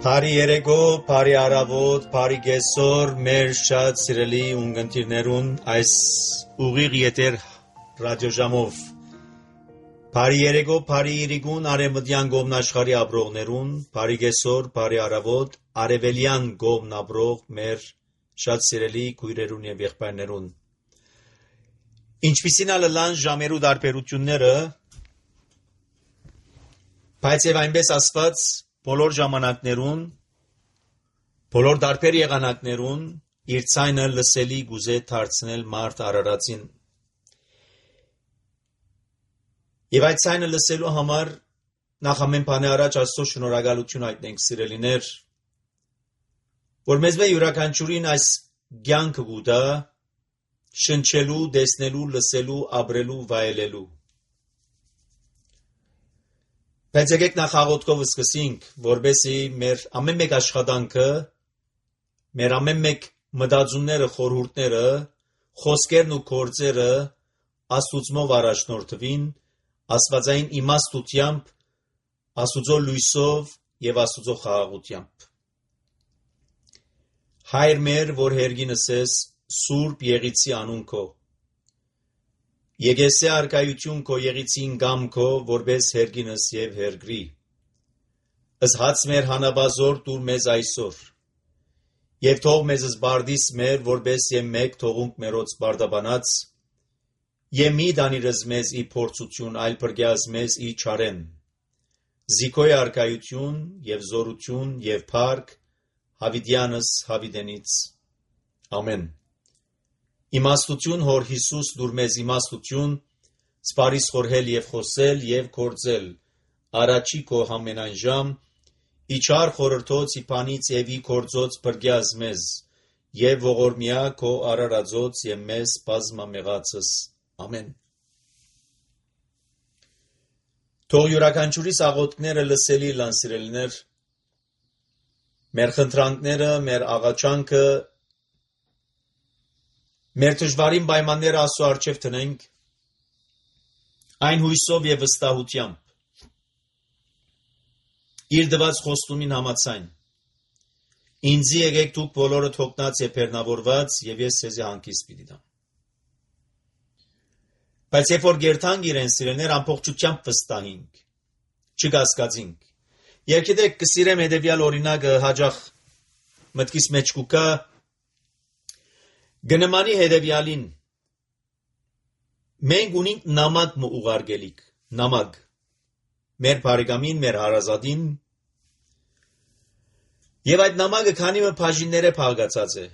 Բարի երեկո, բարի առավոտ, բարի կեսօր, մեր շատ սիրելի ունկնդիրներուն այս ուղիղ եթեր ռադիոժամով։ Բարի երեկո, բարի իրիկուն արևմտյան կողմն աշխարհի ապրողներուն, բարի կեսօր, բարի առավոտ, արևելյան կողմն ապրող մեր շատ սիրելի քույրերուն եւ եղբայրներուն։ Ինչպիսին ալլան ժամերու դարբերությունները, բայց եւ այնպես ասված բոլոր ժամանակներուն, բոլոր դարբեր եղանակներուն իր ցայնը լսելի գուզե դարձնել մարդ Արարածին։ Եվ այդ ցայնը լսելու համար նախ ամեն բանի առաջ Աստծո շնորհակալություն հայտնենք սիրելիներ, որ մեզ յուրաքանչյուրին այս կյանքը գուտա շնչելու, տեսնելու, լսելու, ապրելու, վայելելու։ Բայց եկեք նախ աղոթքով սկսենք, որպեսզի մեր ամեն մեկ աշխատանքը, մեր ամեն մեկ մտածումները, խորհուրդները, խոսքերն ու գործերը Աստուծմով առաջնորդվին, աստվածային իմաստությամբ, Աստուծո լույսով եւ Աստուծո խաղաղությամբ։ Հայր մեր, որ հերգինս ես, Սուրբ Եղիցի անուն քո, Եկեսե արկայություն քո եղիցին գամ քո, որպես հերգինս եւ հերգրի։ Ըսհաց մեր հանաբազոր դուր մեզ այսօր, եւ թող մեզ զբարդիս մեր, որպես եւ մեկ թողունք մերոց բարդաբանած, եւ մի դանիրս մեզ ի փորձություն, այլ բրգյազ մեզ ի չարեն։ Զիքոյ արկայություն եւ զորություն եւ փառք հավիդյանս հավիդենից։ Ամեն։ Իմաստություն հոր Հիսուս դուր մեզ իմաստություն, սպարիս խորհել եւ խոսել եւ գործել, առաջի քո համենայն ժամ, իչար խորհրդոց իփանից եւ ի գործոց բրգյազ մեզ, եւ ողորմյա քո արարածոց եւ մեզ բազմամեղացս։ Ամեն։ Թող յուրաքանչյուրիս աղոթքները լսելի լան սիրելիներ, մեր խնդրանքները, մեր աղաչանքը, մեր դժվարին պայմանները Աստծո առջև տնենք, այն հույսով եւ վստահությամբ, իր դված խոստումին համաձայն, ինձի եկեք դուք բոլորը թողնած եւ բեռնավորված, եւ ես ձեզ հանգիստ պիտի տամ։ Բայց երբ որ գերտանք իրեն սիրելիներ ամբողջությամբ վստահենք, չկասկածենք։ Երկիդեք կսիրեմ հետեւյալ օրինակը հաջող մտքիս մեջ կուկա Գնմանի հետևյալին, մենք ունենք նամակ ուղարկելիք, նամակ, մեր բարեկամին, մեր հարազատին, եւ այդ նամակը քանի մը բաժիններ է փակացած է,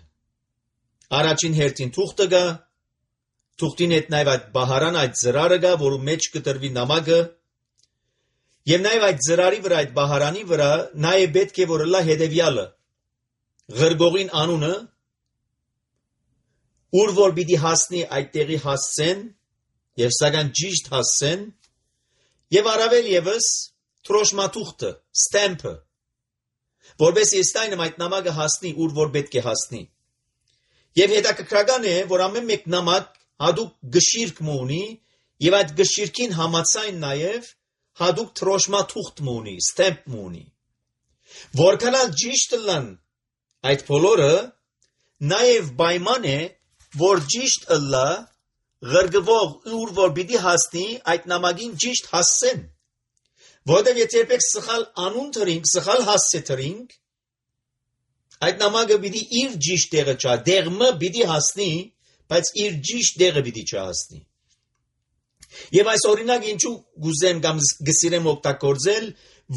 առաջին հերթին թուղթը գա, թուղթին հետ նաեւ այդ բահարան, այդ ծրարը գա, որու մեջ կտրվի նամակը, եւ նաեւ այդ ծրարի վրա, այդ բահարանի վրա, նաեւ պետք է որ լա հետևյալը, ղրգողին անունը, Ուր որ պիտի հասնի այդ տեղի հասցեն, եւ սակայն ճիշտ հասցեն, եւ առավել եւս թրոշմաթուղթը, ստեմպը, որպես եստայնը այդ նամակը հասնի, ուր որ պետք է հասնի։ Եվ հետաքրքրական է, որ ամեն մեկ նամակ հատուկ գշիրք ունի, եւ այդ գշիրքին համաձայն նաեւ հատուկ թրոշմաթուղթ ունի, ստեմպ ունի։ Որքան ճիշտ լան այդ բոլորը, նաեւ պայման է, որ ճիշտ ըլլա ղրգվող ուր որ պիտի հասնի այդ նամակին ճիշտ հասցեն, որովհետև եթե երբեք սխալ անուն թրինք, սխալ հասցե թրինք, այդ նամակը պիտի իր ճիշտ տեղը չա, դեղմը պիտի հասնի, բայց իր ճիշտ տեղը պիտի չհասնի։ Եվ այս օրինակ ինչու գուզեմ կամ գսիրեմ օգտագործել,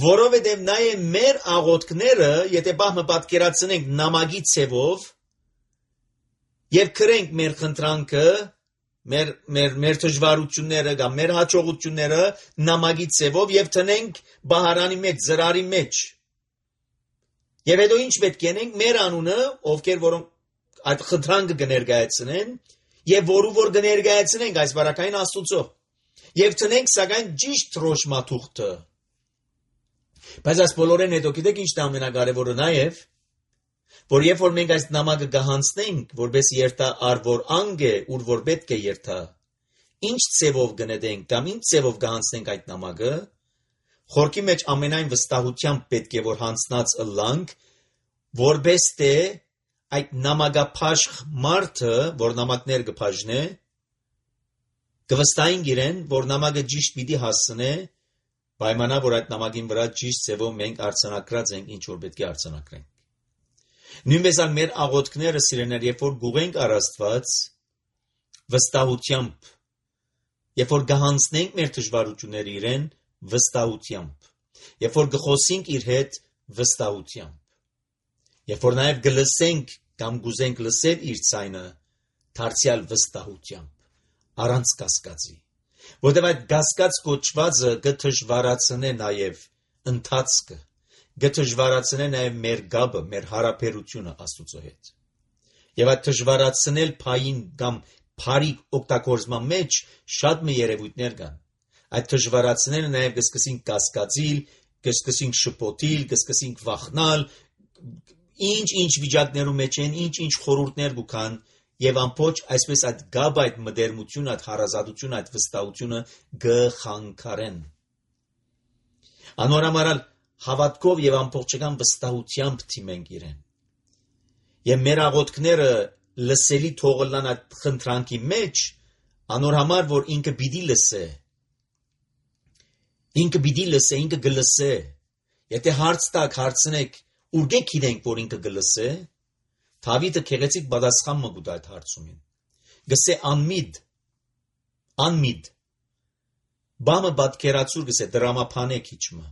որովհետև նաև մեր աղոթքները, եթե բահմը պատկերացնենք նամակի ցևով, Եվ քրենք մեր խնդրանքը, մեր դժվարությունները կամ մեր հաջողությունները նամակի ցևով եւ տնենք բահարանի մեջ, ծրարի մեջ։ Եվ հետո ինչ պետք է անենք մեր անունը, ովքեր որոնք այդ խնդրանքը կներկայացնեն, եւ որու որ կներկայացնենք այս բարակային Աստուծո։ Եվ տնենք սակայն ճիշտ թրոշմաթուղթը։ Բայց այս բոլորեն հետո գիտեք ինչն է ամենակարևորը նաեւ որ երբ որ մենք այս նամակը կհանձնենք, որպես երթա արվոր անգ է, ուր որ պետք է երթա, ինչ ցևով կնետենք կամ ինչ ցևով կհանձնենք այդ նամակը, խորքի մեջ ամենայն վստահությամբ պետք է որ հանցնած ըլլանք, որպես թե այդ նամակապաշտ մարդը, որ նամակներ կփաժնե, կվստահին իրեն, որ նամակը ճիշտ պիտի հասցնե, պայմանա որ այդ նամակին վրա ճիշտ ձևով մենք արձանագրած ենք, ինչ որ պետք է արձանագրենք։ Նույնպես ալ մեր աղոթքները սիրեներ, երբ որ գուղենք առ Աստված վստահությամբ, երբ որ գահանցնենք մեր դժվարությունները իրեն վստահությամբ, երբ որ գխոսենք իր հետ վստահությամբ, երբ որ նաև գլսենք կամ գուզենք լսել իր ձայնը դարձյալ վստահությամբ, առանց կասկածի, որտեղ այդ կասկած կոչվածը կդժվարացնե նաև ընթացքը, կդժվարացնե նաև մեր գաբը, մեր հարաբերությունը Աստծո հետ։ Եվ այդ դժվարացնել փային կամ փարի օգտագործման մեջ շատ մի երևույթներ կան։ Այդ դժվարացնելը նաև կսկսենք կասկածիլ, կսկսենք շփոթիլ, կսկսենք վախնալ, ինչ վիճակներում մեջ են, ինչ խորհուրդներ կան, եւ ամբողջ այսպես այդ գաբը, այդ մդերմությունը, այդ հարազատությունը, այդ վստահությունը գխանգարեն։ Անորամարալ հավատքով եւ ամբողջական վստահությամբ թիմենք իրեն։ Եվ մեր աղոթքները լսելի թողլան այդ խնդրանքի մեջ, անոր համար որ ինքը պիտի լսե։ Ինքը գլսե։ Եթե հարց տակ հարցնեք, ուր գիտենք որ ինքը գլսե, Դավիթը քեղեցիկ պատասխան մը գուտ այդ հարցումին։ Գսե անմիդ։ Բամը պատկերացուր գսե դրամապանե քիչմը։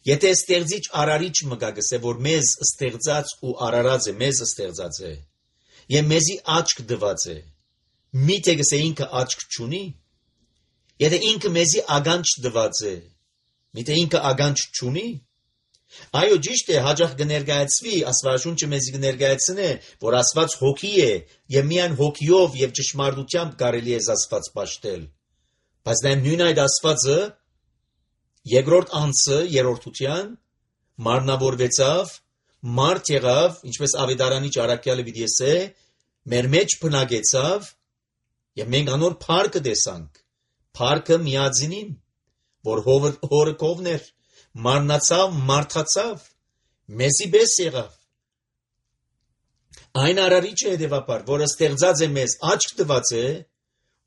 Եթե ստեղծիչ արարիչ մը գսե որ մեզ ստեղծած ու արարած է, մեզ ստեղծած է, եւ մեզի աչք դված է, միթե գսե ինքը աչք չունի։ Եթե ինքը մեզի ագանջ դված է, միթե ինքը ագանջ չունի։ Այո, ճիշտ է, հաջող կներկայացվի, Աստվածաշունչը մեզ կներկայացնե, որ Աստված հոգի է, եւ միայն հոգիով եւ ճշմարտությամբ կարելի է Աստված պաշտել։ Բայց նա նույն այդ Աստվածը երկրորդ անձը երրորդության մարմնավորվեցավ, մարդ եղավ, ինչպես Ավետարանիչ Առաքյալը պիտի ասե, մեր մեջ բնակեցավ, եւ մենք անոր փառքը տեսանք, փառքը միածինին, որ հորը կողներ, մարմնացավ, մարդացավ, մեզի պես եղավ։ Այն արարիչը հետևաբար, որը ստեղծած է մեզ, աչք տված է,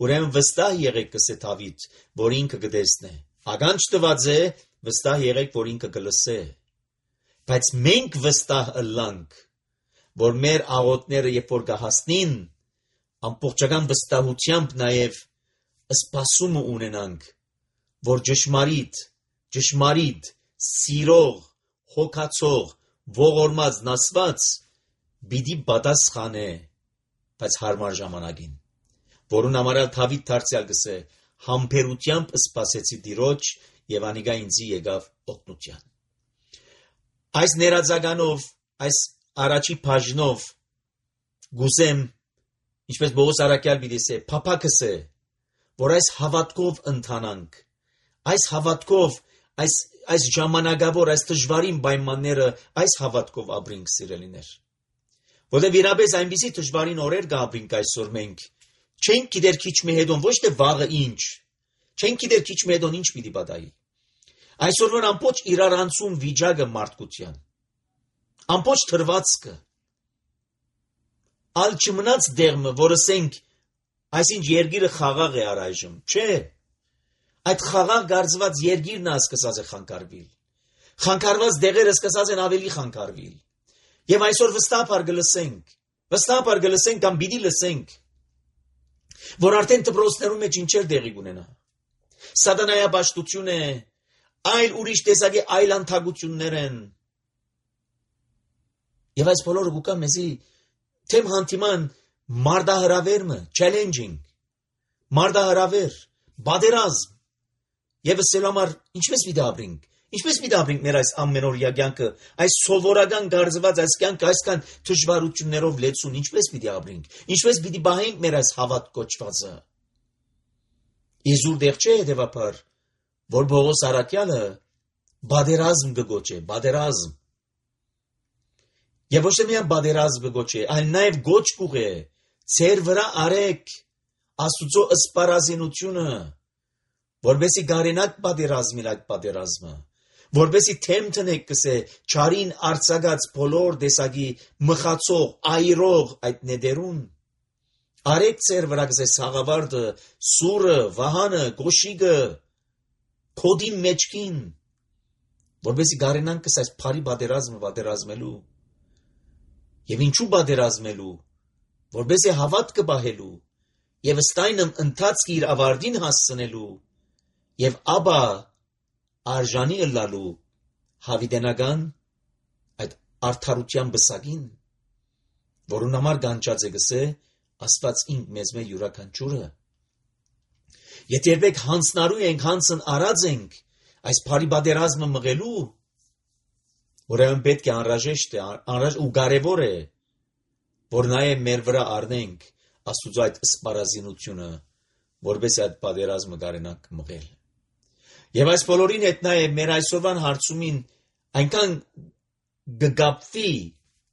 ուրեմն վստահ եղեք կսե Դավիթ, որ ինքը կտեսնե։ Ագանջ տված է, վստահ եղեք, որ ինքը կլսե։ Բայց մենք վստահ ըլլանք, որ մեր աղոթքները երբ որ կհասնին, ամբողջական վստահությամբ նաև սպասումը ունենանք, որ ճշմարիտ, սիրող, հոգացող, ողորմած, նասված պիտի պատասխանե, բայց հարմար ժամանակին, որուն համար Դավիթ դարձյալ գսե, համբերությամբ սպասեցի Տիրոջ եւ անիկա ինձի եկավ օգնության։ Այս ներածականով, այս առաջի բաժնով գուսեմ, ինչպես Պողոս Առաքյալ պիտի ասե, փափակս է, որ այս հավատքով ընթանանք, այս հավատքով, այս ժամանակավոր, այս դժվարին պայմանները, այս հավատքով ապրենք սիրելիներ։ Որտեղ իրապես այնպիսի դժվարին օրեր կապրենք այսօր մենք, չենք գիտեր քիչ մի հետոն, ոչ թե վաղը ինչ, չենք գիտեր քիչ մի հետոն ինչ պիտի պատահի։ Այսօրվան ամբողջ իրարանցում վիճակը մարդկության, ամբողջ թրվածքը, ալ չմնաց դեղմը, որ ասենք, այսինչ երգիրը խաղաղ է առայժմ, չէ, այդ խաղաղ գարձված երգիրն է սկսած է խանգարվել, խանգարված դեղերը սկսած են ավելի խանգարվել, եւ այսօր վստահաբար գլսենք կամ պիտի լսենք, որ արդեն դպրոցներում մեջ ինչեր դեղի կունենա, սատանայապաշտություն է, այլ ուրիշ տեսակի այլ անթագություններ են, եւ այս բոլորը կուկա մեզի թեմ հանդիման մարդահրավերմը, challenging, մարդահրավեր, բادرազմ, եւ սելամար ինչպես պիտի ապրենք մեր այս ամենօրյա կյանքը, այս սովորական գարձված այս կյանքը այսքան դժվարություններով լեցուն, ինչպես պիտի ապրենք, ինչպես պիտի բահենք մեր այս հավատ կոչվածը։ Իզուր դեղ չէ հետևաբար, որ Պողոս Առաքյալը բادرազմ կգոչե, բادرազմ։ Եվ ոչ թե միայն բادرազմ կգոչե, այլ նաև գոչ կուղե, ձեր վրա արեք Աստուծո սպառազինությունը, որբեսի գարենակ պատերազմիլ այդ պատերազմը, որբեսի թեմ տնեք կսե չարին արցակած բոլոր դեսագի մխացող, այրող այդ նեդերուն, արեք ծեր վրա կսե սաղավարդը, սուրը, վահանը, գոշիգը, կոդի մեջքին, որբեսի գարենան կսե այս պարի պատերազմը պատերազմելու, և ինչու պատերազմելու, որբեսի հավատքը պահելու, և ստայնմ ընթացքի իր ավարտին հասցնելու, և ապա արժանի ըլլալու հավիտենական այդ արդարության բսակին, որուն համար գանչած է գսե Աստված ինք մեզ մե յուրաքանչյուրը։ Եթե երբեք հանցնարու ենք, հանցն արած ենք այս բարի պատերազմը մղելու, ուրեմն պետք է անհրաժեշտ է ու կարևոր է, որ նաև մեր վրա առնենք Աստուծո այդ սպառազինությունը, որպես այդ պատերազմը կարենանք մղել։ Եվ այս բոլորին հետ նաև մեր այսօրվան հարցումին այնքան գգապվի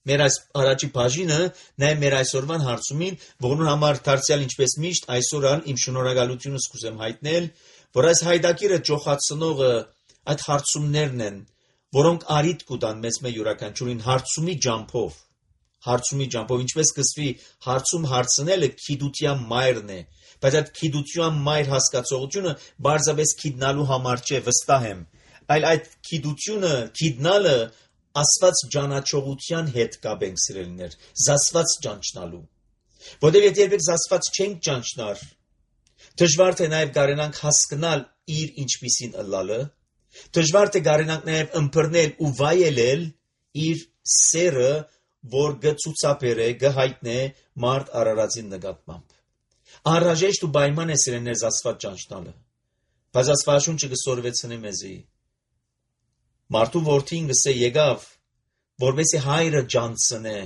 մեր այս առաջի բաժինը, նաև մեր այսօրվան հարցումին, որոնց համար դարձյալ ինչպես միշտ այսօր իմ շնորհակալությունը սկսեմ հայտնել, որ այս հայդակիրը ջոխացնողը այդ հարցումներն են, որոնք արիտ կուտան մեզ մե յուրաքանչյուրին հարցումի ջամփով, ինչպես կսվի հարցում հարցնելը քիդության մայրն է, բայց այդ քիդության մայր հասկացողությունը բարձրապես քիդնալու համար չէ, վստահ եմ, այլ այդ քիդությունը, քիդնալը Աստված ճանաչողության հետ կապ ենք սիրելիներ, զասված ճանչնալու, որտեղ եթե երբեք զասված չենք ճանչնար, դժվար թե նաև կարենանք հասկանալ իր ինչպիսին ըլլալը, դժվար թե կարենանք նաև ըմբռնել ու վայելել իր սերը, որ գծուցաբեր է, գհայտնե մարդ արարածին նկատմամբ։ Անհրաժեշտ ու պայման է սիրելիներ զասված ճանչնալը, բայց Աստվածաշունչը կսորվեցնի մեզի։ Մարդու որդին գսե եկավ, որպեսզի հայրը ջանցնե։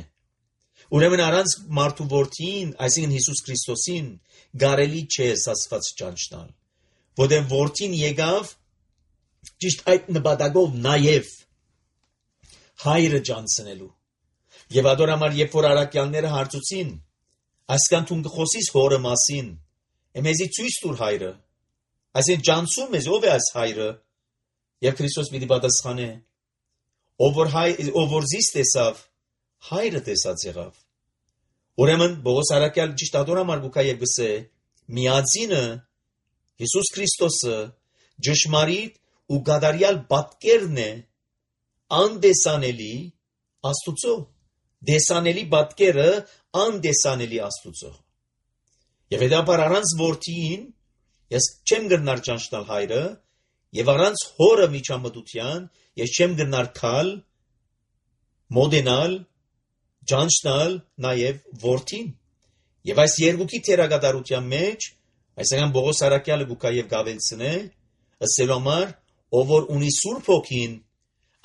Ուրեմն առանց մարդու որդին, այսինքն Հիսուս Քրիստոսին, կարելի չէ Աստված ճանչնալ, որտեղ որդին եկավ ճիշտ այդ նպատակով նաև հայրը ջանցնելու։ Եվ ադոր համար երբ որ առաքյալները հարցուցին, այսքան դու կխոսիս հորը մասին, մեզի ցույց տուր հայրը, այսինքն ջանցում ես ով է այս հայրը։ Եվ Քրիստոս պիտի պատասխանե. ով որ զիս տեսավ, հայրը տեսած եղավ։ Ուրեմն Պողոս առաքյալ ճիշտ ադոր համար գուքա եւ գսե միածինը Հիսուս Քրիստոսը ճշմարիտ ու գադարյալ պատկերն է անդեսանելի Աստուծո, դեսանելի պատկերը անդեսանելի Աստուծո։ Եվ հետապար առանց որդին ես չեմ գնար ճանչնալ հայրը, եւ առանց հորը միջամտության ես չեմ գնար քալ, մոդենալ, ճանչնալ նաև որդին։ Եվ այս երկուքի թերագադարության մեջ, այսինքն Պողոս առաքյալը գուքա եւ գավելցնե, ըսելու համար, ով որ ունի Սուրբ Հոգին,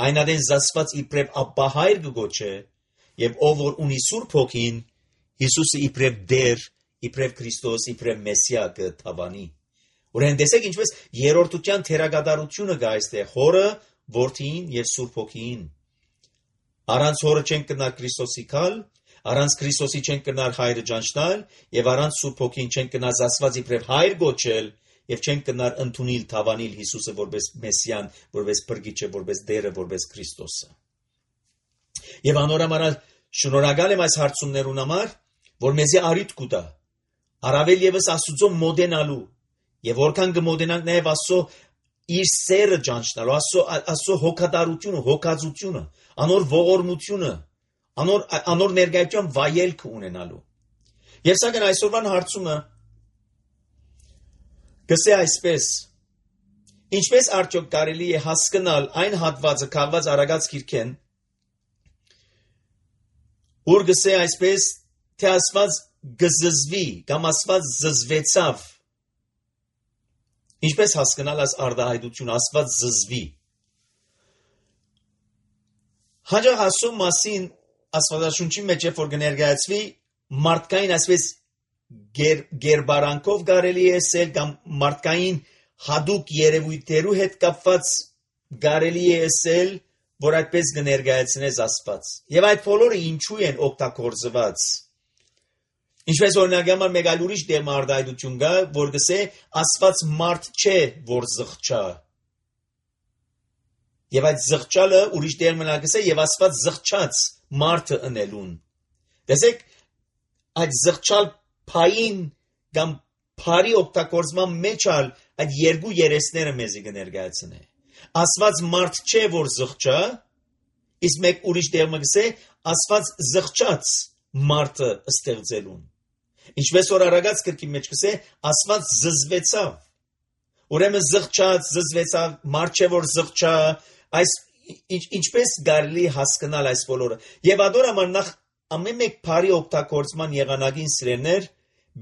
այնադեն զասված իբրև Աբբա հայր կգոչե, եւ ով որ ունի Սուրբ Հոգին, Հիսուսը իբրև Դեր, իբրև Քրիստոս, իբրև Մեսիա կթավանի։ Ուրեմն տեսեք ինչպես երրորդության թերագադարությունը կա այստեղ հորը, որդին եւ Սուրբ Հոգին։ Առանց հորը չենք կնար Քրիստոսի քալ, առանց Քրիստոսի չենք կնար հայրը ճանչնալ եւ առանց Սուրբ Հոգին չենք կնար զասված իբրև հայր գոչել եւ չենք կնար ընդունիլ թավանիլ Հիսուսը որպես Մեսիան, որպես Փրկիչը, որպես Դերը, որպես Քրիստոսը։ Եվ անորամալ շնորհակալ եմ այս հարցումներուն համար, որ մեզի արիտ կուտա առավել եւս Աստուծո մոդենալու եւ որքան կմոդենանք նաեւ Աստծո իր սերը ճանչնալու, Աստծո հոգատարությունը, հոգածությունը, անոր ողորմությունը, անոր ներկայության վայելքը ունենալու։ Եվ սակայն այսօրվան հարցումը գսե այսպես. ինչպես արդյոք կարելի է հասկանալ այն հատվածը քաղված Արագած գիրքեն, որ գսե այսպես, թե Աստված գզզվի կամ Աստված զզվեցավ։ Ինչպես հասկանալ այս արտահայտությունը Աստված զզվի։ Հաջող ասում մասին Աստվածաշունչի մեջ երբ որ կներկայացվի մարդկային այսպես գերբարանքով կարելի է ասել կամ մարդկային հadoop երևույթերու հետ կապված կարելի է ասել, որ այդպես կներկայացնես Աստված։ Եվ այդ բոլորը ինչու են օգտագործված։ Ինչպես օրինակ համար մեկ այլ ուրիշ դեմ արտահայտություն կա, որ գսե Աստված մարդ չէ, որ զղջա։ Եվ այդ զղջալը ուրիշ դեր մնա գսե եւ Աստված զղջաց մարդը ընելուն։ Տեսեք, այդ զղջալ փային կամ փարի օգտագործման մեջ այդ երկու երեսները մեզի կներկայացնե։ Աստված մարդ չէ, որ զղջա, իսկ մեկ ուրիշ դեր մը գսե Աստված զղջաց մարդը ստեղծելուն։ Ինչպես որ արագած գրքի մեջ կսե Աստված զզվեցավ։ Ուրեմն զղջաց, զզվեցավ, մարդ չէ որ զղջա, այս ինչպես կարելի հասկանալ այս բոլորը։ Եվ ադոր համար նախ ամեն մեկ բարի օգտագործման եղանակին սիրելիներ,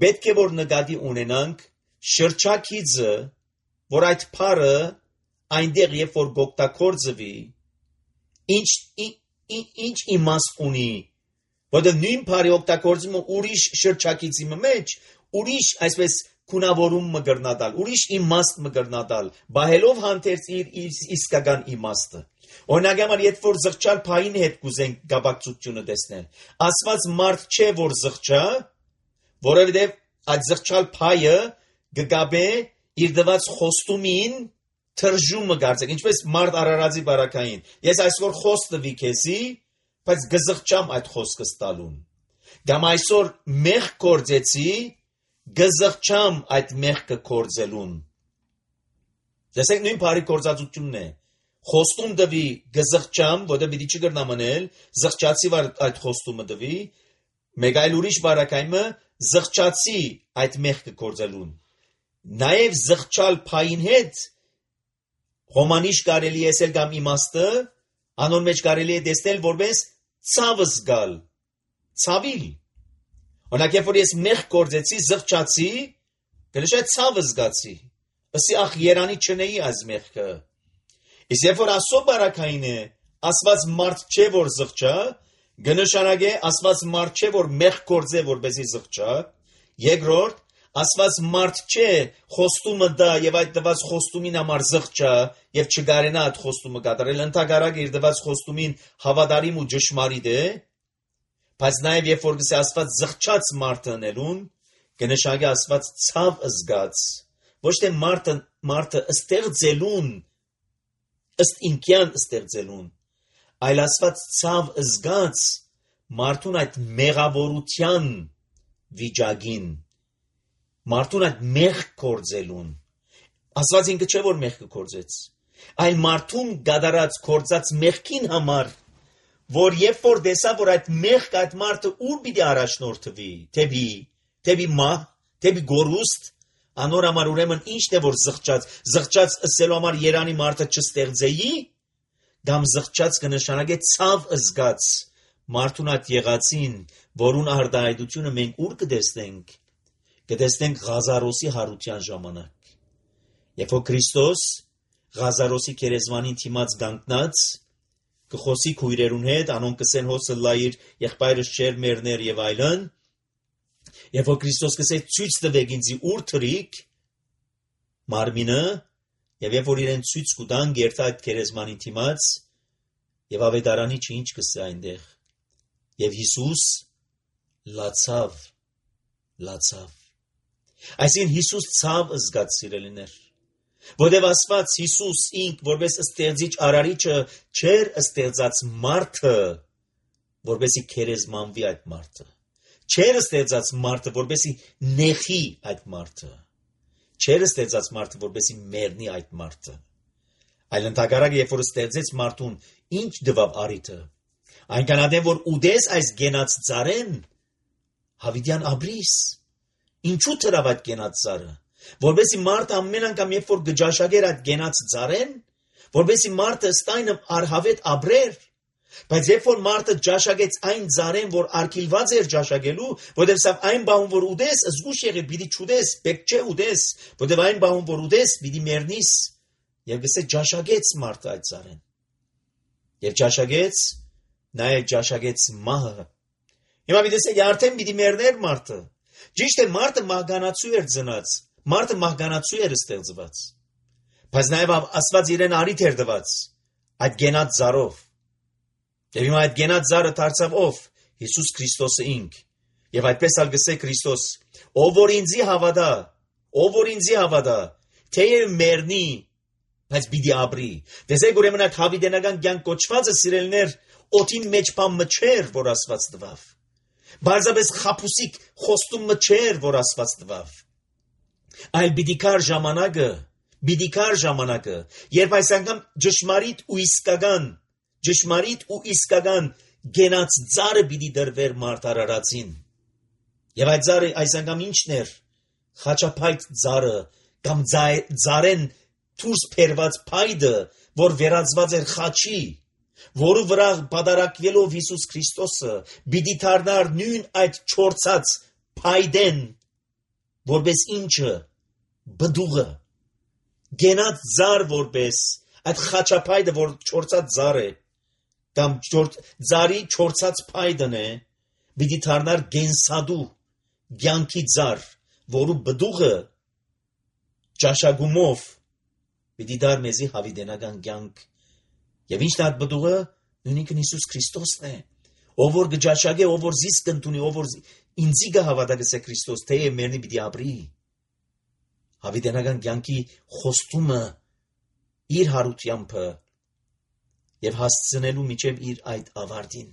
պետք է որ նկատի ունենանք շրջակիցը, որ այդ բարը այնտեղ երբ որ օգտագործվի, ինչ իմաստ ունի։ Որտեղ նույն բարի օգտագործումը ուրիշ շրջակիցի մեջ, ուրիշ այսպես քունավորում մգրնադալ, ուրիշ իմաստ մգրնադալ, բահելով հանդերձ իր իսկական իմաստը։ Օրինակ համար երբ որ զղջալ փային հետ կուզենք գաբակցությունը տեսնել, Աստված մարդ չէ որ զղջա, որովհետև այդ զղջալ փայը գգաբե իր դված խոստումին թրժումը գարձեք, ինչպես մարդ արարածի բարակային։ Ես այսօր խոստվի քեզի, բայց գզղջամ այդ խոսքը ստալուն։ Կամ այսօր մեղ կործեցի, գզղջամ այդ մեղքը կործելուն։ Տեսեք նույն բարի կործածությունն է։ Խոստում դվի գզղջամ, որտեղ պիտի չգրնամ անել, զղջացի այդ խոստումը դվի, մեկ այլ ուրիշ բարակայինը զղջացի այդ մեղքը կործելուն։ Նաև զղջալ փային հետ հոմանիշ կարելի է ասել կամ իմաստը, անոն մեջ կարելի է տեսնել որպես ցավ զգալ, ցավիլ։ Օրինակ երբ որ ես մեղ կործեցի, զղջացի, գնշա ցավ զգացի։ Ասի ախ երանի չնեի այս մեղքը։ Իսկ երբ որ Աստծո բարակային է, Աստված մարդ չէ որ զղջա, գնշանագե Աստված մարդ չէ որ մեղ կործե որպեսի զղջա։ Երկրորդ Աստված մարդ չէ խոստումը դա եւ այդ դված խոստումին համար զղջա եւ չգարենա այդ խոստումը կատարել, ընդհանրակ իր դված խոստումին հավատարիմ ու ճշմարիտ է, բայց նաեւ երբ որ գսե Աստված զղջաց մարդը ընելուն, կնշանակի Աստված ցավ զգաց, ոչ թե մարդը ստեղծելուն, ըստ ինքյան ստեղծելուն, այլ Աստված ցավ զգաց մարդուն այդ մեղավորության վիճակին, մարդուն այդ մեղ կործելուն։ Աստված ինքը չէ որ մեղքը կործեց, այլ մարդուն գադարած կործած մեղքին համար, որ երբ որ տեսա որ այդ մեղք այդ մարդը ուր պիտի առաջնորդվի, թեպի մահ, թեպի գորուստ, անոր համար ուրեմն ինչն է որ զղջաց ըսելու համար երանի մարդը չստեղծեի, կամ զղջաց կնշանակե ցավ զգաց մարդուն այդ եղածին, որուն արտահայտությունը մենք ուր կտեսնենք, կտեսնենք Ղազարոսի հարության ժամանակ։ Երբ որ Քրիստոս Ղազարոսի քերեզմանին թիմած գանկնած, կխոսի քույրերուն հետ, անոնք կսեն հոսը լայր, եղբայրս չեր մերներ եւ այլն, երբ որ Քրիստոս կսե ցույց տվեք ինձի ուր թրիկ մարմինը, եւ երբ որ իրեն ցույց կտան գերտա այդ քերեզմանին թիմած, եւ ավետարանի ինչ կսե այնտեղ, եւ Հիսուս լացավ։ Այսինքն Հիսուս ցավ զգաց սիրելիներ, որտեւ Աստված Հիսուս ինք որպես ստեղծիչ արարիչը չէր ստեղծած մարդը, որպեսի քերեզմանվի այդ մարդը, չէր ստեղծած մարդը, որպեսի նեխի այդ մարդը, չէր ստեղծած մարդը, որպեսի մեռնի այդ մարդը, այլ ընդհակառակը երբ որ ստեղծեց մարդուն, ինչ դվավ արիթը, այնքան ադեմ որ ուդես այս գենած ծառեն, հավիտյան ապրիս, ինչու թրավ այդ գենած ծառը, որպեսի մարդը ամեն անգամ երբ որ գճաշագեր այդ գենած ծառեն, որպեսի մարդը ստայնը արհավետ ապրեր, բայց երբ որ մարդը ճաշակեց այն ծառեն, որ արգիլված էր ճաշակելու, որտեղ սա այն բան որ ուդես, զգուշ եղի պիտի չուդես, պետք չէ ուդես, որտեղ այն բան որ ուդես, պիտի մեռնիս, եւ գսե ճաշակեց մարդը այդ ծառեն, եւ ճաշակեց, նաեւ ճաշակեց մահը։ Հիմա մի տեսեք, արդեն պիտի մեռներ մարդը, ճիշտ է մարդը մահկանացու էր ծնած, մարդը մահկանացու էր ստեղծված, բայց նաեւ Աստված իրեն արիթ էր տված այդ գենած ծառով։ Եվ հիմա այդ գենած ծառը դարձավ ով? Հիսուս Քրիստոսը ինք, Եվ այդպես ալ գսե Քրիստոս, ով որ ինձի հավատա, թեև մեռնի, բայց պիտի ապրի։ Տեսեք ուրեմն այդ հավիտենական կյանք կոչվածը սիրելիներ, օդին մեջ բան մչեր, որ Աստված տվավ։ Բարձրապես խապուսիկ խոստումը չէր, որ Աստված տվավ։ Այլ պիտի կար ժամանակը, երբ այս անգամ ճշմարիտ ու իսկական գենաց ծառը պիտի դրվեր մարդարարածին։ Եվ այդ ծառը այս անգամ ինչն էր։ Խաչապայտ ծառը կամ ծառեն դուրս բերված փայդը, որ վերածված էր խաչի, որու վրա պատարակվելով Հիսուս Քրիստոսը պիտի դառնար նույն այդ չորցած փայդեն, որպես ինչը բդուղը, գենած ծառ որպես այդ խաչապայդը, որ չորցած ծառ է, կամ ծառի չորցած փայդն է, պիտի դառնար գենսադու կյանքի ծառ, որու բդուղը ճաշակումով պիտի դար մեզի հավիտենական կյանք։ Եվ ինչն է այդ բդուղը։ Նույնիսկ Հիսուս Քրիստոսն է, ով որ գճաշակե, ով որ զիսկ ընդունի, ով որ ինձի գհավատա գսե Քրիստոս, թեև մեռնի պիտի ապրի։ Հավիտենական կյանքի խոստումը իր հարությամբ եւ հասցնելու միջև իր այդ ավարտին։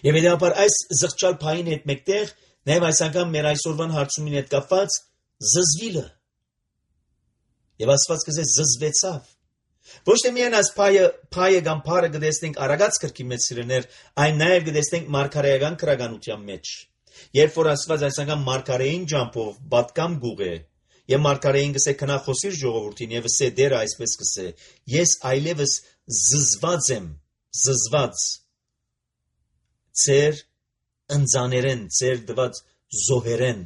Եվ հետապար այս զղջալ փային հետ մեկտեղ նաև այս անգամ մեր այսօրվան հարցումին հետ կապված զզվիլը։ Եվ Աստված կզե զզվեցավ։ Ոչ թե միայն այս փայը կամ փարը գտեսնենք Արագած գրքի մեջ սիրելիներ, այն նաև գտեսնենք մարգարեական քրագանության մեջ։ Երբ որ Աստված այս անգամ մարգարեին ջամփով պատկամ գուղե, եւ մարգարեին գսե քնա խոսիր ժողովրդին եւ ասե դերը այսպես գսե. ես այլևս զզված եմ, ծեր ընձաներեն, ծեր դված զոհերեն,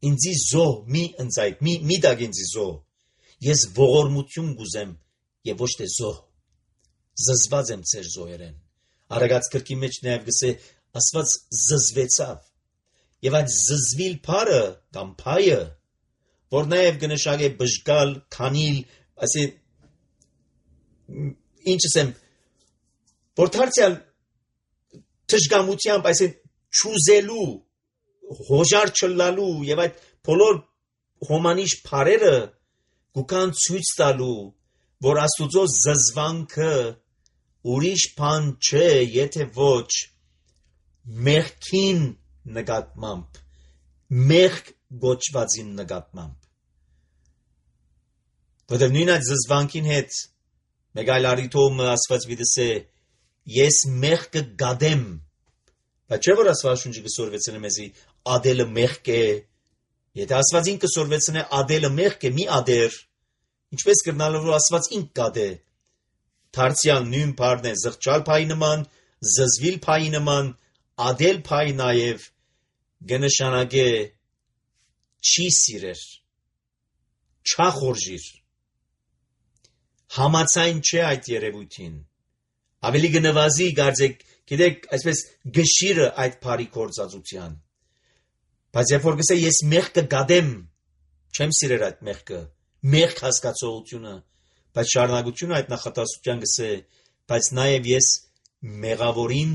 ինձի զոհ մի ընձայք, մի դակ ինձի զոհ, ես ողորմություն գուզեմ եւ ոչ թե զոհ, զզված եմ ծեր զոհերեն։ Արագած գրքի մեջ նաեւ գսե Աստված զզվեցավ, եւ այդ զզվիլ փարը կամ փայը, որ նաեւ գնշագե բժգալ, քանիլ, ասի ինչս եմ, որ դարձյալ թշգամությամբ, այսին չուզելու, հոժար չլալու եւ այդ բոլոր հոմանիշ փարերը գուքան ցույց տալու, որ Աստուծո զզվանքը ուրիշ բան չէ, եթե ոչ մեղքին նկատմամբ, մեղք գոչվածին նկատմամբ։ Որտեղ նույն այդ զզվանքին հետ մեկ այլ առիթով Աստված վիդսե ես մեղքը գադեմ, բայց չէ որ Աստվածաշունչը կսորվեցնե մեզի ադելը մեղք է, եթե Աստված ինքը կսորվեցնե ադելը մեղք է, մի ադեր, ինչպես կրնալով որ Աստված ինք գադե, դարձյալ նույն բառն է զղջալ փայի նման, զզվիլ փայի նման, ադել փայի նաև գնշանակե չի սիրեր, չախորժիր, համացայն չէ այդ երևույթին, ավելի գնվազի գարձեք, գիտեք, այսպես գշիրը այդ բարի գործածության, բայց երբ որ գսե ես մեղքը գադեմ, չեմ սիրեր այդ մեղքը, մեղք հասկացողությունը, բայց շարունակությունը այդ նախատասության գսե, բայց նաև ես մեղավորին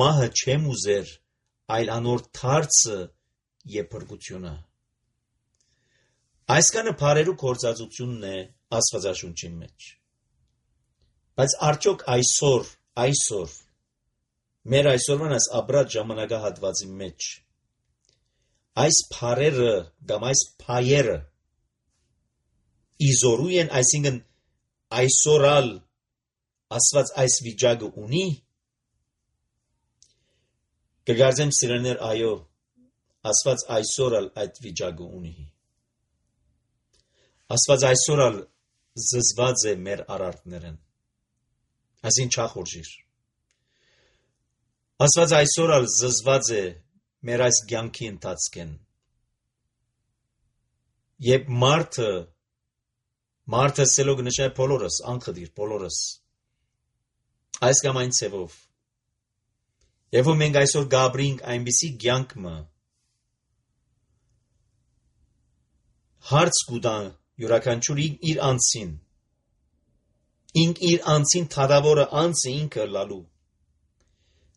մահը չեմ ուզեր, այլ անոր թարցը եւ փրկությունը։ Այսքանը բարերու գործածությունն է Աստվածաշունչի մեջ։ Բայց արդյոք այսօր մեր այսօրվան այս ապրած ժամանակահատվածի մեջ այս բարերը կամ այս փայերը իզորու են, այսինքն այսօրալ Աստված այս վիճակը ունի։ Կգարձեմ սիրելիներ, այո, Աստված այսօրալ այդ վիճակը ունի։ Աստված այսօրալ զզված է մեր արարքներն, այսին չախորժիր։ Աստված այսօրալ զզված է մեր այս կյանքի ընթացքին։ Եվ մարդը սելով նշάει բոլորս, անխդիր բոլորս, այս կամ այն ցևով։ Եվ որ մենք այսօր գաբրինք այնպիսի կյանքը, հարց կուտան յուրաքանչյուր իր անձին, իր անձին թադավորը անձը ինքը լալու,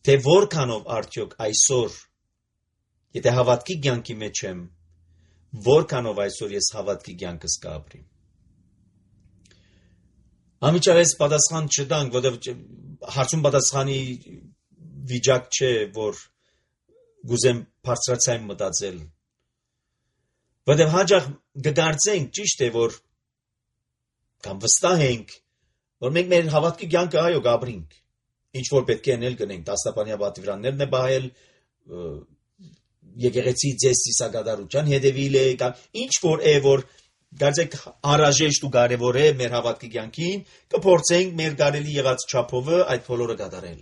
թե որքանով արդյոք այսօր Եթե հավատքի կյանքի մեջ եմ, որքանով այսօր ես հավատքի կյանքս կապրիմ։ Ամիջապես պատասխան չտանք, որտեղ հարցում պատասխանի վիճակ չէ, որ գուզեմ բարձրացիային մտածել։ Որտեղ հաջող կգործենք, ճիշտ է, որ կամ վստահ ենք, որ մենք մեր հավատքի կյանքը այո կապրինք։ Ինչ որ պետք է անել գնենք, դաստապանյա պատվիրաններն է բայել, եկեղեցի ձեզ ծիսակատարության հետևիլ է, կամ ինչ որ է, որ գարձեք անհրաժեշտ ու կարևոր է մեր հավատքի կյանքին, կփորձենք մեր կարելի եղած չափով այդ բոլորը կատարել։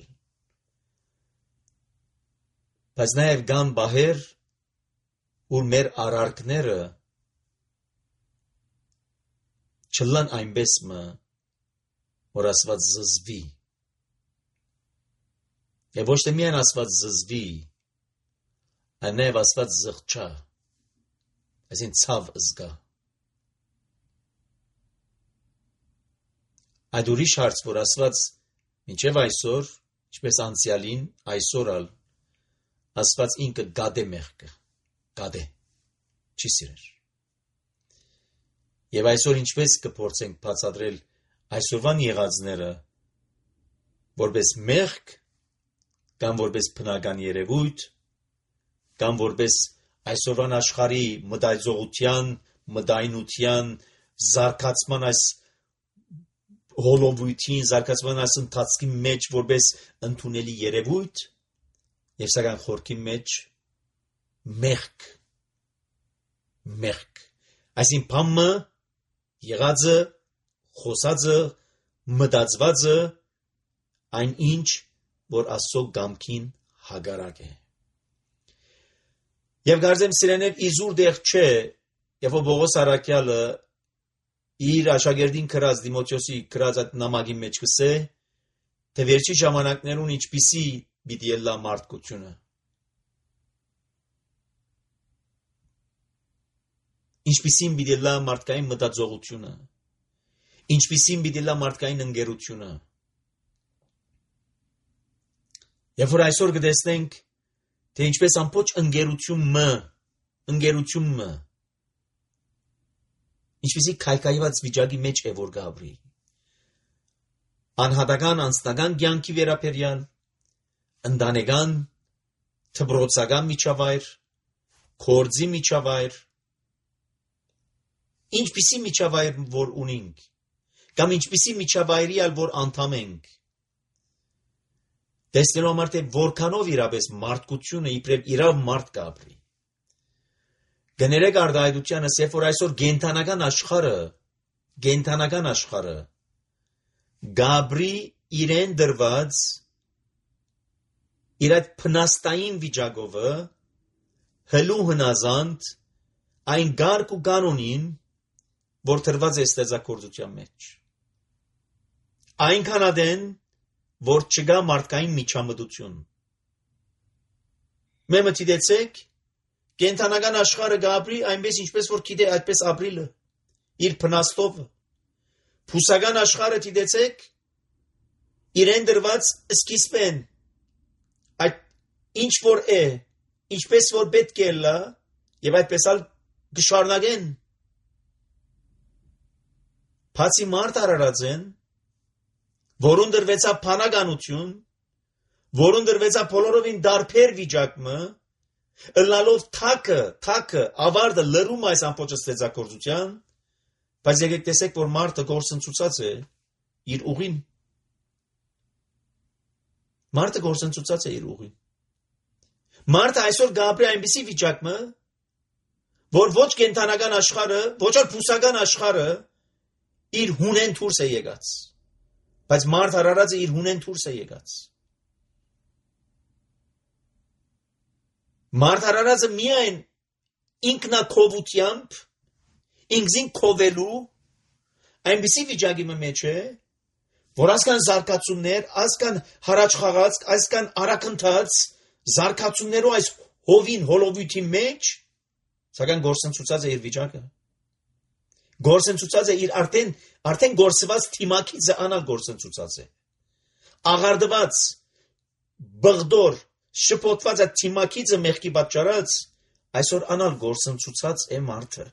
Բայց նաև կան բահեր, որ մեր արարքները չլան այնպես որ Աստված զզվի։ Եվ ոչ թե միայն Աստված զզվի, այլ նաև Աստված զղջա, այսին ցավ զգա։ Այդ ուրիշ հարց, որ Աստված մինչև այսօր, ինչպես անցյալին, այսօր ալ Աստված ինքը գադե մեղքը, գադե, չի սիրեր։ Եվ այսօր ինչպես կփորձենք բացատրել այսօրվան եղածները որպես մեղք կամ որպես բնական երևույթ կամ որպես այսօրվան աշխարհի մտածողության, մտայնության, զարգացման այս հոլովույթին, զարգացման այս ընթացքի մեջ որպես ընդունելի երևույթ եւ սակայն խորքի մեջ մեղք այսին բամը եղածը խոսածը մտածվածը այն ինչ որ Աստծո կամքին հակառակ է եւ գարձեմ սիրեներ իզուր դեղ չէ եւ Պողոս առաքյալը իր աշակերտին գրած Դիմոթեոսի գրած այդ նամակի մեջ կսե թե վերջի ժամանակներուն ինչպիսի պիտի ելլա մարդկությունը ինչպիսին պիտի ելլա մարդկային մտածողությունը ինչպիսին պիտի ելլա մարդկային ընկերությունը եւ որ այսօր կտեսնենք թե ինչպես ամբողջ ընկերությունը ինչպիսի քայքայված վիճակի մեջ է որ գաբրի անհատական անձնական կյանքի վերաբերյալ ընտանեկան թբրոցական միջավայր կորձի միջավայր ինչպիսի միջավայր որ ունենք կամ ինչպիսի միջավայրի ալ որ անդամ ենք տեսնելու համար թե որքանով իրապես մարդկությունը իբրև իրավ մարդ կապրի գներեք արդայդությանս երբ որ այսօր գենթանական աշխարհը գաբրի իրեն դրված իր այդ փնաստային վիճակովը հլու հնազանդ այն գարկ ու կանոնին որ տրված է ստեղծագործության մեջ այնքան ադեն որ չկա մարդկային միջամտություն մեմը դիտեցեք կենթանական աշխարհը գաբրի այնպես ինչպես որ գիտե այդպես ապրիլը իր փնաստով փուսական աշխարհը դիտեցեք իրեն դրված սկիզբեն այդ ինչ որ է ինչպես որ պետք է լա եւ այդպես ալ գշարնագեն բացի մարդ արարած են որուն դրվեցա փանականություն որուն դրվեցա բոլորովին դարբեր վիճակը ըլլալով թակը ավարտը լրում այս ամբողջ ստեղծագործության բայց եկեք տեսեք որ մարդը գործընծուցած է իր ուղին մարդը այսօր գաբրի այնպիսի վիճակը որ ոչ կենթանական աշխարհը ոչ էլ փուսական աշխարհը իր հունեն դուրս է եկած բայց մարդ արարածը իր հունեն դուրս է եկած մարդ արարածը միայն ինքնակովությամբ ինքզին կովելու այնպիսի վիճակի մեջ է որ ասկան զարգացումներ ասկան հարաճ խաղաց ասկան արաքընթաց զարգացումներով այս հովին հոլովույթի մեջ սակայն գործընծուցած է իր վիճակը գործընծուցած է իր արդեն գործված թիմակիցը անալ գործընծուցած է աղարդված բղդոր շփոթված այդ թիմակիցը մեղքի պատճառած, այսօր անալ գործընծուցած է մարդը։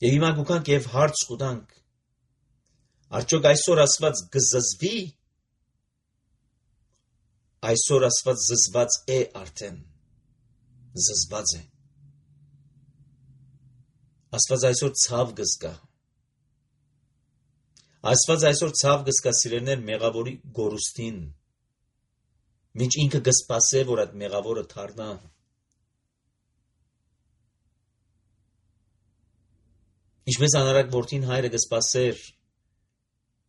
Եվ հիմա գուքանք եւ հարց խուտանք, արդյոք այսօր ասված գզզվի, այսօր ասված զզված է արդեն, զզված է։ Ասված այսօր ցավ գզկա, ասված այսօր ցավ գզկա սիրելիներ մեղավորի գորուստին, մինչ ինքը գսպասե, որ այդ մեղավորը թարնա։ Ինչպես անարակ որդին հայրը գսպասեր,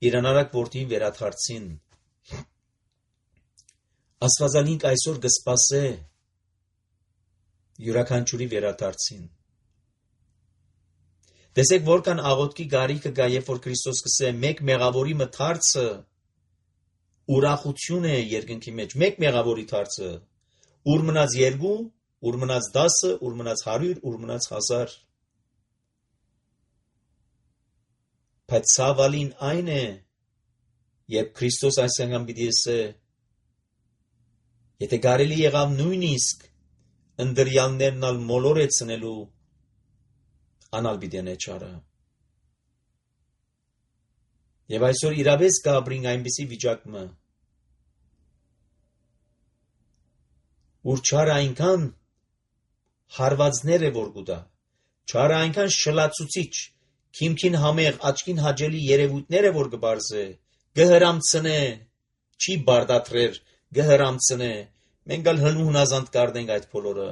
իր անարակ որդին վերաթարցին, ասվածանինք այսօր գսպասե, յուրաքանչյուրի վերաթարցին։ Տեսեք որքան աղոթքի գարիքը գա, երբ որ Քրիստոս կսե մեկ մեղավորի մթարցը ուրախություն է երկնքի մեջ, մեկ մեղավորի թարցը, ուր մնաց 2, ուր մնաց 10, ուր մնաց 100, ուր մնաց 1000։ Բայց ցավալին այն է, երբ Քրիստոս այս անգամ պիտի ասե, եթե կարելի եղավ նույնիսկ ընդրյալներն ալ մոլորեցնելու, անալ պիտի նեչարը։ Եվ այսօր իրավես կապրինք այնպիսի վիճակը, ուր չարը այնքան հարվածներ է որ գուտա, չարը այնքան շլացուցիչ, քիմքին համեղ, աչքին հաճելի երևույթներ է որ կբարձե, գհրամցնե, չի բարդատրեր, գհրամցնե, մենք ալ հնազանդ կարդենք այդ բոլորը։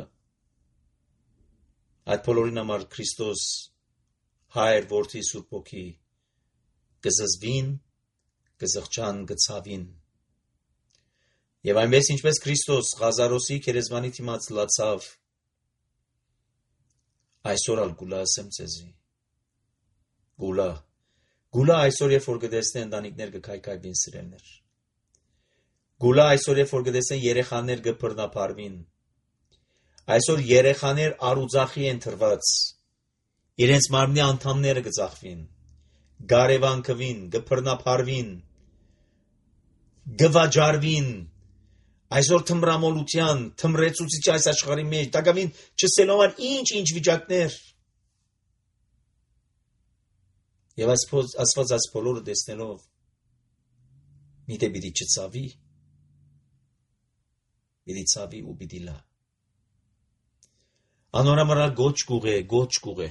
Այդ բոլորին համար Քրիստոս Հայր, Որդի, Սուրբ Հոգի կզզվին, կզղջան, կցավին։ Եվ այնպես ինչպես Քրիստոս Ղազարոսի քերեզմանի դիմաց լացավ, այսօր ալ գուլա ասեմ ձեզի։ Գուլա այսօր երբ որ կտեսնեն ընտանիքներ կքայքայվին սիրելներ։ Գուլա այսօր երբ որ կտեսնեն երեխաներ կբռնապարվին։ Այսօր երեխաներ արուձախի են թրված, իրենց մարմնի անդամները կծախվին, գարևանքվին, կբռնապարվին, գվաճարվին, այսօր թմրամոլության, թմրեցուցիչ այս աշխարհի մեջ, տակավին չսելով ինչ վիճակներ։ Եվ ասված այս բոլորը տեսնելով, միտե պիտի չցավի, պիտի ցավի ու պիտի լա։ Անորամարալ գոչ կուղե։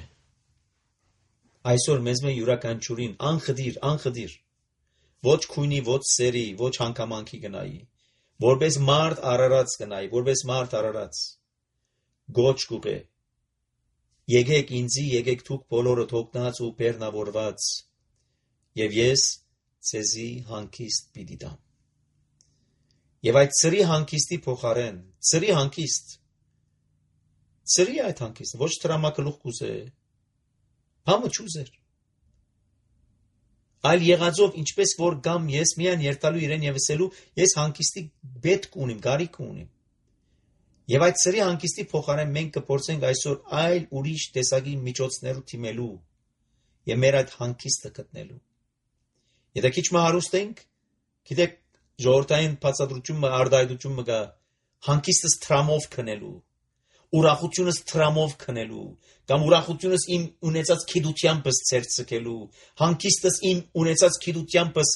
Այսօր մեզ մե յուրաքանչյուրին անխդիր, ոչ քույնի, ոչ սերի, ոչ հանգամանքի գնայի, որպես մարդ արարած, գոչ կուղե, եկեք ինձի, եկեք դուք բոլորը թողնած ու բեռնավորված, և ես ձեզի հանգիստ պիտի տամ։ Եվ այդ ծրի հանգիստի փոխարեն, ծրի այդ հանգիստը, ոչ տրամակլուխ կուզե, համը չուզեր։ Այլ եղածով, ինչպես որ գամ ես միան երթալու իրեն և ասելու, ես հանգիստի պետք ունիմ, գարիք ունիմ։ Եվ այդ ծրի հանգիստի փոխարեն մենք կփորձենք այսօր այլ ուրիշ տեսակի միջոցներով թիմելու և մեր այդ հանգիստը գտնելու։ Եթե քիչ հարուստ ենք, գիտեք, ժողովրդային բացատրությունը, արտահայտությունը կա, հանգիստս տրամով քնելու, ուրախությունս տրամով քնելու, կամ ուրախությունս իմ ունեցած գիտությանպես ցերցկելու, հանգիստս իմ ունեցած գիտությանպես,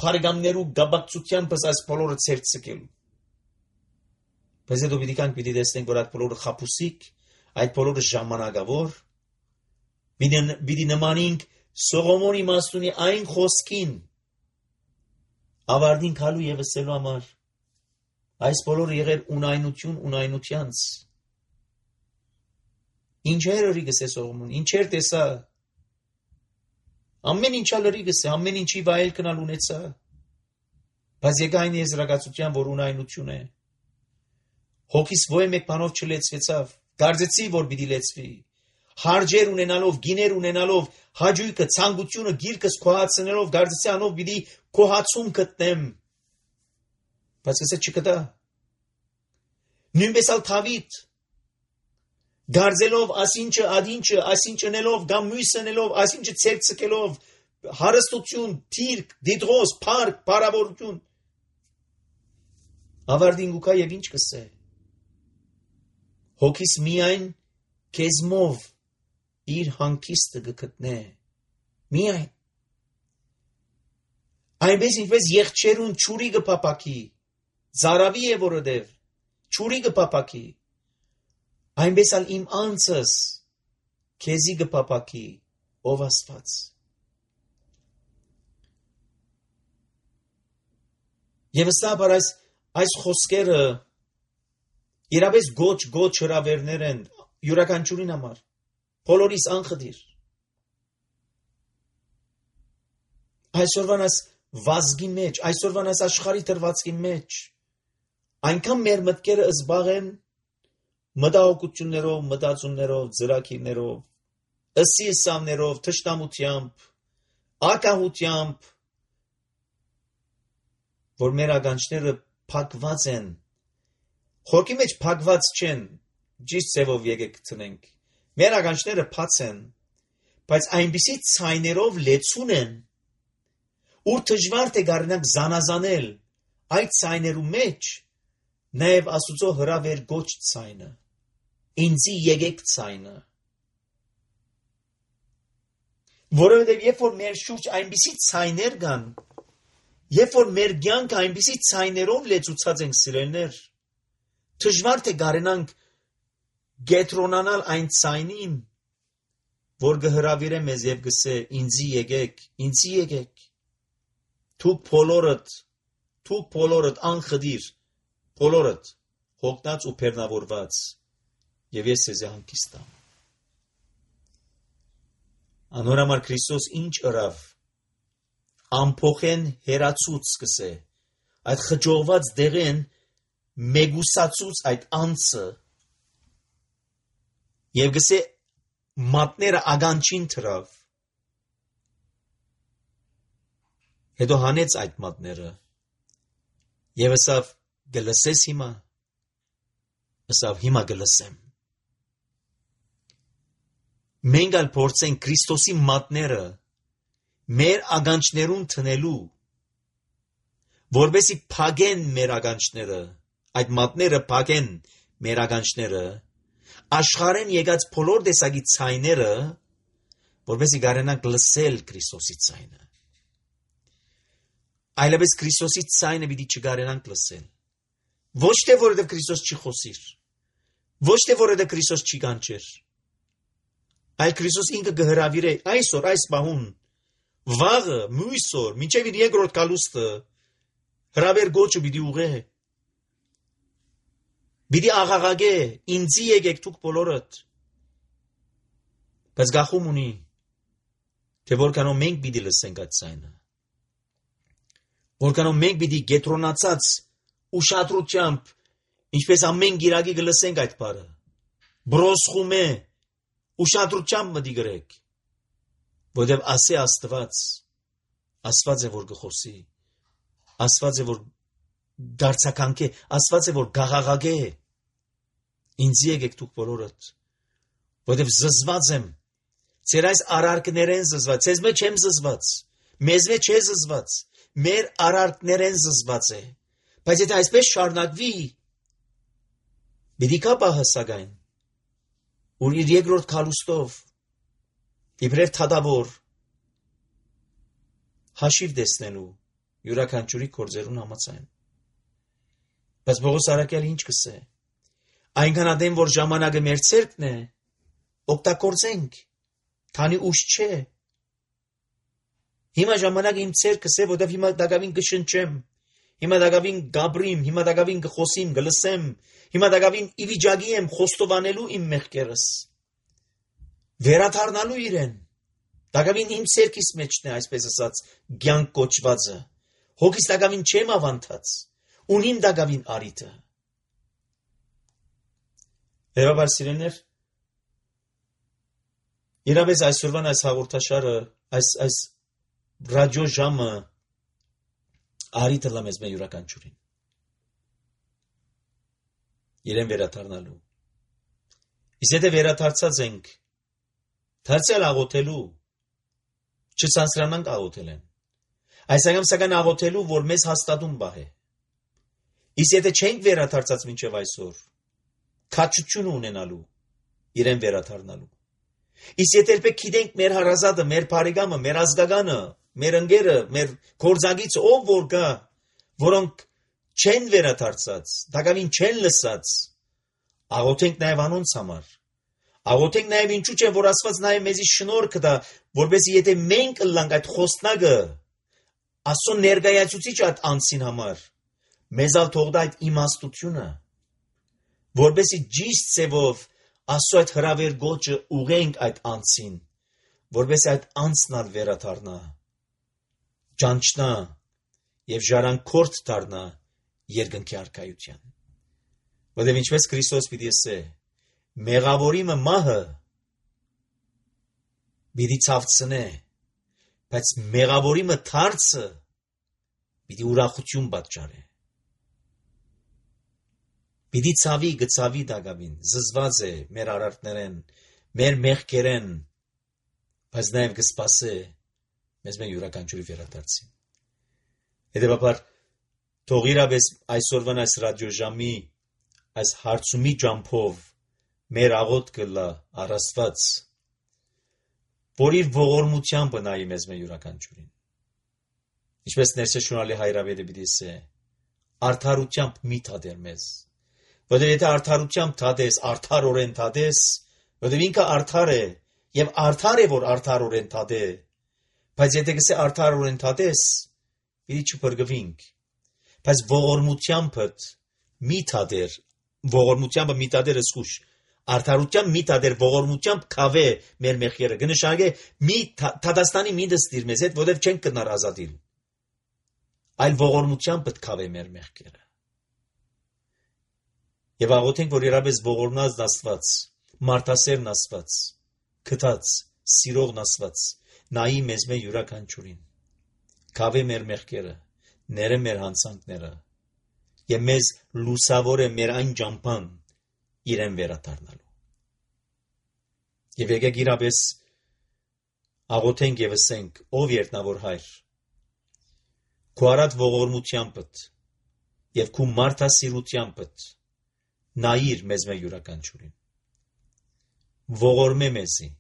բարեկամներու գաբակցությանպես այս բոլորը ցերցկելու։ Բայց հետո պիտի տեսնենք, որ այդ բոլորը խաբուսիկ, այդ բոլորը ժամանակավոր, պիտի նմանենք Սողոմոնի Մաստունի այն խոսքին, ավարտին քալու և ասելու համար, այս բոլորը եղեր ունայնությանց։ Ինչեր ըրի գսե Սողոմոն, ինչեր տեսա, ամեն ինչա լրի գսե, ամեն ինչի վայել կնալ ունեցա, բայց եկա այն եզրակացության, որ ունայնություն է, հոգիս ոյ մեկ բանով չլեցվեցավ, կարծեցի, որ պիտի լեցվի, հարջեր ունենալով, գիներ ունենալով, հաճույքը, ցանկությունը, գիրկս քոհացնելով, կարծեցի անով պիտի քոհացում գտնեմ, բայց գսե չկտա, նույնպես ալ Դավիթ, Գարձելով ասինչը, ադինչը, ասինչը նելով, կամ մույսը նելով, ասինչը ցերցկելով, հարստություն, թիրք, դիդրոս, փառք, բարավորություն։ Ավարտին գուքա եւ ինչ կսե։ Հոգիս միայն քեզմով իր հանգիստը գտնե։ Միայն։ Այնպես ինչպես եղջերուն ճուրի գփապակի, զարավի է որովհետև ճուրի գփապակի, այնպես ալ իմ անձս քեզի գփապակի, ով Աստված։ Եվ ըստաբար այս խոսքերը իրապես գոչ հրավերներ են յուրաքանչյուրին համար, բոլորիս անխտիր։ Այսօրվան այս վազգի մեջ, այսօրվան այս աշխարհի դրվածքի մեջ, այնքան մեր մտքերը զբաղ են մտահոգություններով, մտածումներով, ծրագիրներով, ըսիեսավներով, թշնամությամբ, ակահությամբ, որ մեր ականջները փակված են, խորքի մեջ փակված չեն, ճիշտ ձևով եկեք գտնենք, մեր ականջները բաց են, բայց այնպիսի ցայներով լեցուն են, ուր դժվար թե գարնանք զանազանել այդ ցայներու մեջ նաև Աստուծո հրավեր գոչ ցայնը, ինձի եկեք ցայնը, որովհետև երբ որ մեր շուրջ այնպիսի ցայներ կան, երբ որ մեր կյանքը այնպիսի ցայներով լեցուցած ենք սիրելներ, դժվար թե գարենանք գետրոնանալ այն ցայնին, որ կհրավիրե մեզ եւ գսե ինձի եկեք, դուք բոլորդ անխդիր, բոլորդ հոգնած ու բեռնավորված, եւ ես ձեզ հանգիստ եմ։ Անորամար Քրիստոս ինչ ըրավ, ամփոխեն հերացուց սկսե, այդ խջողված դեղեն մեգուսացուց այդ անձը, եւ գսե մատները ագանչին թրավ, հետո հանեց այդ մատները, եւ ասավ գլսես հիմա, ասավ հիմա գլսեմ։ Մենք ալ փորձենք Քրիստոսի մատները մեր ագանչներուն տնելու, որբեսի փագեն մեր ագանչները, այդ մատները փագեն մեր ագանչները, աշխարհեն եկած բոլոր տեսակի ցայները, որբեսի գարենանք լսել Քրիստոսի ցայնը։ Այլապես Քրիստոսի ցայնը պիտի չգարենանք լսել։ Ոչ թե որովհետև Քրիստոս չի խոսիր, ոչ թե որովհետև Քրիստոս չի կանչեր, այլ Քրիստոս ինքը կհրավիրե այսօր այս բահուն, վաղը, մույսօր, մինչև իր երկրորդ գալուստը, հրավեր գոչը պիտի ուղե, պիտի աղաղագե, ինձի եկեք դուք բոլորդ, բայց գախում ունի, թե որքանով մենք պիտի լսենք այդ ցայնը, որքանով մենք պիտի գետրոնացած ուշադրությամբ, ինչպես ամեն գիրակի կլսենք այդ բառը, բրոսխում է, ուշադրությամբ մտի գրեք, որտև ասե Աստված է որ գխոսի, Աստված է որ դարձականքե, Աստված է որ գաղաղագե, ինձ եկեք դուք բոլորդ, որտև զզված եմ, ձեր այս արարքներեն զզված, ձեզ մեջ չեմ զզված, մեզ մեջ չէ զզված, մեր արարքներեն զզված է, բայց եթե այսպես շարունակվի, պիտի կա պահասակայն, որ իր երկրորդ գալուստով իբրև թադավոր հաշիվ տեսնելու յուրաքանչյուրի գործերուն համաձայն։ Բայց Պողոս առաքյալը ինչ կսե։ Այնքան ադեմ որ ժամանակը մեր ցերկն է, օգտագործենք, քանի ուշ չէ։ Հիմա ժամանակը իմ ցերկս է, որտեղ հիմա դակավին կշնչեմ, հիմա դակավին գաբրիմ, հիմա դակավին կխոսիմ, գլսեմ, հիմա դակավին իվիճակի եմ խոստովանելու իմ մեղքերս, վերադառնալու իրեն, դակավին իմ ցերկիս մեջն է, այսպես ասած, կյանք կոչվածը, հոգիս դակավին չեմ ավանդած, ունիմ դակավին արիտը։ Եվաբար սիրելիներ, իրապես այսօրվան այս հաղորդաշարը, այս ռադիո ժամը արիտը լամես մեր յուրաքանչյուրին։ Իրեն վերադառնալու։ Իսկ եթե վերադարձած ենք, դարձյալ աղոթելու, չցանցրանանք աղոթել են։ Այս անգամ սակայն աղոթելու, որ մեզ հաստատուն բահ է։ Իսկ եթե չենք վերադարձած մինչև այսօր, քաջություն ունենալու, իրեն վերադառնալու։ Իսկ եթե երբեք գիտենք մեր հարազատը, մեր բարեկամը, մեր ազգականը, մեր ընկերը, մեր գործակիցը, ով որ կա, որոնք չեն վերադարձած, դակավին չեն լսած, աղոթենք նաև անոնց համար։ Աղոթենք նաև ինչու՞ չէ, որ Աստված նաև մեզի շնորհ կտա, որպեսզի եթե մենք ըլլանք այդ խոսնակը, Աստծո ներկայացուցիչ այդ անձին համար, մեզ ալ թողնա այդ իմաստությունը, որպեսզի ճիշտ ձևով Աստծո այդ հրավեր գոչը ուղենք այդ անձին, որպեսզի այդ անձն ալ վերադառնա, ճանչնա եւ ժառանգորդ դառնա երկնքի արքայության։ Որտեղ ինչպես Քրիստոս պիտի ասե, մեղավորիմը մահը պիտի ցավցնե, բայց մեղավորիմը թարցը պիտի ուրախություն պատճառե։ Պիտի ցավի գծավի դակավին, զզված է մեր արարքներեն, մեր մեղքերեն, բայց նաև կսպասե մեզ մեր յուրաքանչյուրի վերադարձին։ Հետևաբար թող իրապես այսօրվան այս ռադիոժամի այս հարցումի ջամփով մեր աղոթքը լա առաստված, որ իր ողորմությամբ նայի մեզ մեր յուրաքանչյուրին։ Ինչպես ներշնչալի հայրավետը պիտի ասե, արդարությամբ մի թադեր մեզ։ Որտեղ եթե արդարությամբ թադես, արդարորեն թադես, որտեղ ինքը արդար է, եւ արդար է, որ արդարորեն թադե, բայց եթե գսե արդարորեն թադես, պիտի չփրկվինք, բայց ողորմությամբ մի թադեր, ողորմությամբ մի թադեր զգուշ, արդարությամբ մի թադեր, ողորմությամբ քավե մեր մեղքերը, կնշանակե մի թադաստանի մի դստիր մեզ հետ, որտեղ չենք կնար ազատիլ, այլ ողորմությամբ քավե մեր մեղքերը։ Եվ աղոթենք, որ իրապես ողորմած Աստված, մարդասերն Աստված, քթած, սիրողն Աստված, նայի մեզ մեր յուրաքանչյուրին, քավե մեր մեղքերը, ները մեր հանցանքները, եւ մեզ լուսավորե մեր այն ջամփան իրեն վերադառնալու։ Եվ եկեք իրապես աղոթենք եւ ասենք, ով երտնավոր հայր, քո արած ողորմությանդ եւ քո մարդասիրությանդ նայիր մեզ մեր յուրաքանչյուրին, ողորմե մեզի,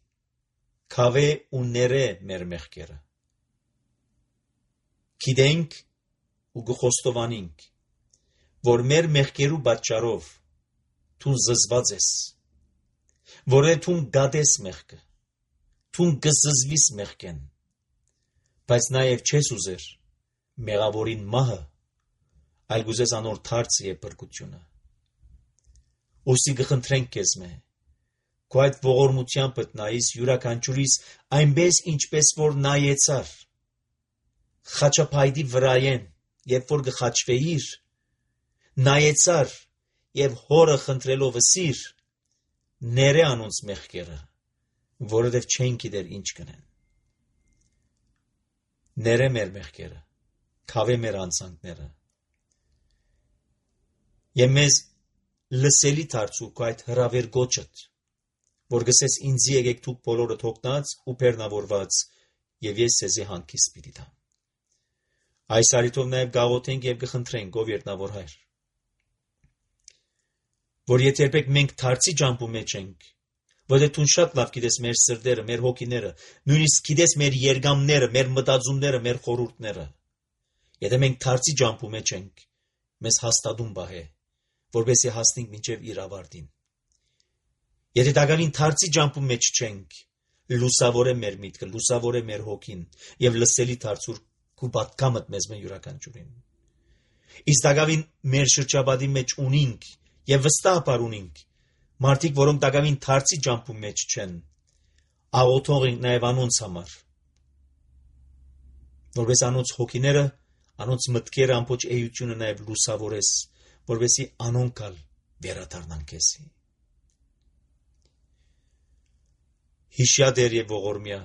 քավե ու ները մեր մեղքերը, գիտենք ու գխոստովանենք, որ մեր մեղքերու պատճառով թուն զզված ես, որ թուն գադես մեղքը, թուն գզզվիս մեղքեն, բայց նաև չես ուզեր մեղավորին մահը, այլ գուզես անոր թարցը եւ բրկությունը։ Ոսի գխնդրենք քեզ մե, քո այդ ողորմությամբ նայիս յուրաքանչյուրիս այնպես ինչպես որ նայեցար, խաչապայդի վրայեն, երբ որ գխաչվեիր, նայեցար եւ հորը խնդրելով ասիր, ները անոնց մեղքերը, որովհետեւ չեն գիտեր ինչ կնեն։ Ները մեր մեղքերը, քավե մեր անցանքները։ Եվ մեզ լսելի դարձու քո այդ հրավեր գոչդ, որ գսես ինձի եկեք դուք բոլորը թողնած ու բեռնավորված, եւ ես ցեզի հանգիստ պիտի տամ։ Այս արիթով նաև գաղոթենք եւ կխնդրենք, ով երտնավոր հայր, որ եթե երբեք մենք դարձի ջամփու մեջ ենք, որտեղ դու շատ լավ գիտես մեր սրտերը, մեր հոգիները, նույնիսկ գիտես մեր երգամները, մեր մտածումները, մեր խորհուրդները, եթե մենք դարձի ջամփու մեջ ենք, մեզ հաստատում բահե, որպեսզի հասնենք մինչև իր ավարտին։ Եթե դակավին դարձի ջամփու մեջ չենք, լուսավոր է մեր միտքը, լուսավոր է մեր հոգին եւ լսելի դարձուր քու պատկամդ մեզ մեն յուրաքանչյուրին։ Իսկ դակավին մեր շրջապատի մեջ ունենք եւ վստահաբար ունենք մարդիկ, որոնք դակավին դարձի ջամփու մեջ չեն, աղոթող ենք նաեւ անոնց համար, որպես անոնց հոգիները, անոնց մտքերը ամբողջ էությունը նաեւ լուսավորես, որպեսզի անոնքալ վերադառնան քեզի։ Հիշյադեր եւ ողորմյա,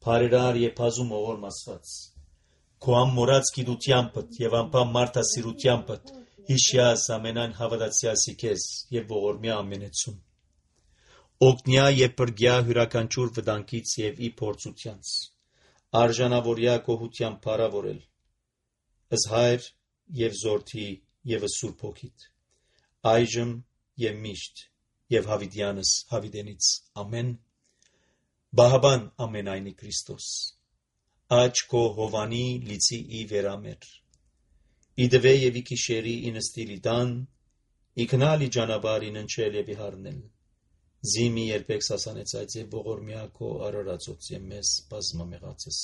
բարերար եւ բազում ողորմ Աստված, քո ամորած գիտությամբ եւ անպամ մարդասիրությամբ հիշյաս ամենայն հավատացյալի քեզ եւ ողորմյա ամենեցուն։ Օգնյա եւ բրգյա հյուրաքանչյուր վտանգից եւ ի փորձությանց, արժանավորյա կողությամբ փառավորել, ըս հայր եւ զորթի եւ Սուրբ Հոգիդ, այժմ եւ միշտ եւ հավիտյանս հավիտենից ամեն։ Բահաբան ամենայնի Քրիստոս, աչ քո հովանի լիցի ի վերամեր, իդվե եւ ի քիշերի ինստիլի դան, իքնալի ճանապարհին ընչել եւ իհարնել, զիմի երբեք սասանեցած եւ ողորմյա քո արարածոց եւ մեզ բազմամեղածս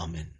ամեն։